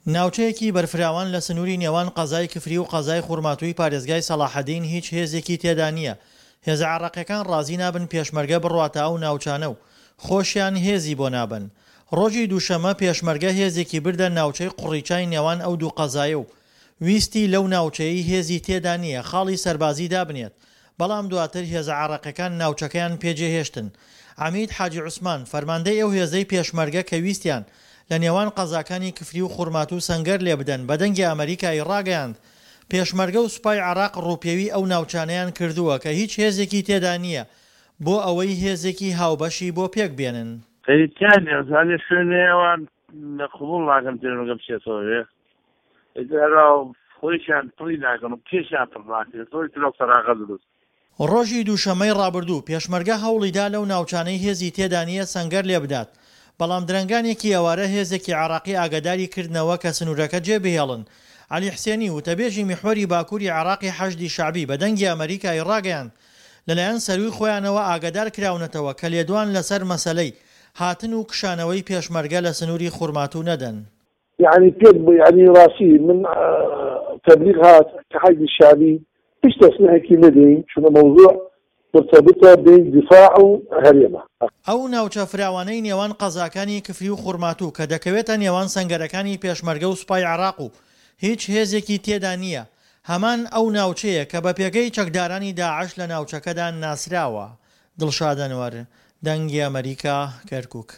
ناوچەیەکی بەرفراوان لە سنووری نێوان قەزای کفری و قەزای خورماتووی پارێزگای سەڵاحەدین هیچ هێزێکی تێدا نییە، هێزە عێراقییەکان ڕازی نابن پێشمەرگە بڕواتە ئەو ناوچانە و خۆشیان هێزی بۆ نابەن. ڕۆژی دووشەممە پێشمەرگە هێزێکی بردە ناوچەی قوڕیچای نێوان ئەو دوو قەزایە و ویستی لەو ناوچەیەی هێزی تێدا نییە خاڵی سەربازی دابنێت، بەڵام دواتر هێزە عێراقیەکان ناوچەکەیان پێ جێهێشتن. عەمید حاجی عوسمان، فەرماندەی ئەو هێزەی پێشمەرگە کە ویستیان لە نێوان قەزاکانی کفری و خورماتوو سەنگەر لێبدەن بە دەنگی ئەمەریکای ڕاگەیاند پێشمەرگە و سوپای عێراق ڕووپێوی ئەو ناوچانەیان کردووە کە هیچ هێزێکی تێدا نییە بۆ ئەوەی هێزێکی هاوبەشی بۆ پێک بێنن. خەریک تیا نیە ئەزانێ شوێنێ ئەوان قبوڵ ناکەن پێشمەرگە بچێتەوە ئەوێ ئیتر هەروا خۆیشیان پڕی ناکەن و پێشیان پڕ ناکرێتەوە ئیتر ئەو فەراغە دروست. ڕۆژی دووشەممەی ڕابردوو، پێشمەرگە هەوڵیدا لەو ناوچانەی هێزی تێدا نییە سەنگەر لێبدات، بەڵام درەنگانێکی ئێوارە هێزێکی عێراقی ئاگاداری کردنەوە کە سنوورەکە جێبهێڵن. عەلی حسێنی، وتەبێژی میحوەری باکووری عێراقی حەشدی شەعبی بە دەنگی ئەمەریکای ڕاگەیاند، لەلایەن سەرووی خۆیانەوە ئاگادار کراونەتەوە کە لێدوان لەسەر مەسەلەی هاتن و کشانەوەی پێشمەرگە لە سنووری خورماتوو نەدەن. یەعنی پێت یەعنی ڕاستی من تەبلیغ هات کە حەشدی شەعبی هیچ تەسریحێکی نەدەین چونە مەوزوع مرتبطە بین دیفاع و هەرێمە. ئەو ناوچە فراوانەی نێوان قەزاکانی کفری و خورماتوو کە دەکەوێتە نێوان سەنگەرەکانی پێشمەرگە و سوپای عێراق و هیچ هێزێکی تێدا نییە، هەمان ئەو ناوچەیە کە بە پێگەی چەکدارانی داعش لە ناوچەکەدا ناسراوە. دڵشاد ئەنوەر، دەنگی ئەمەریکا، کەرکوک.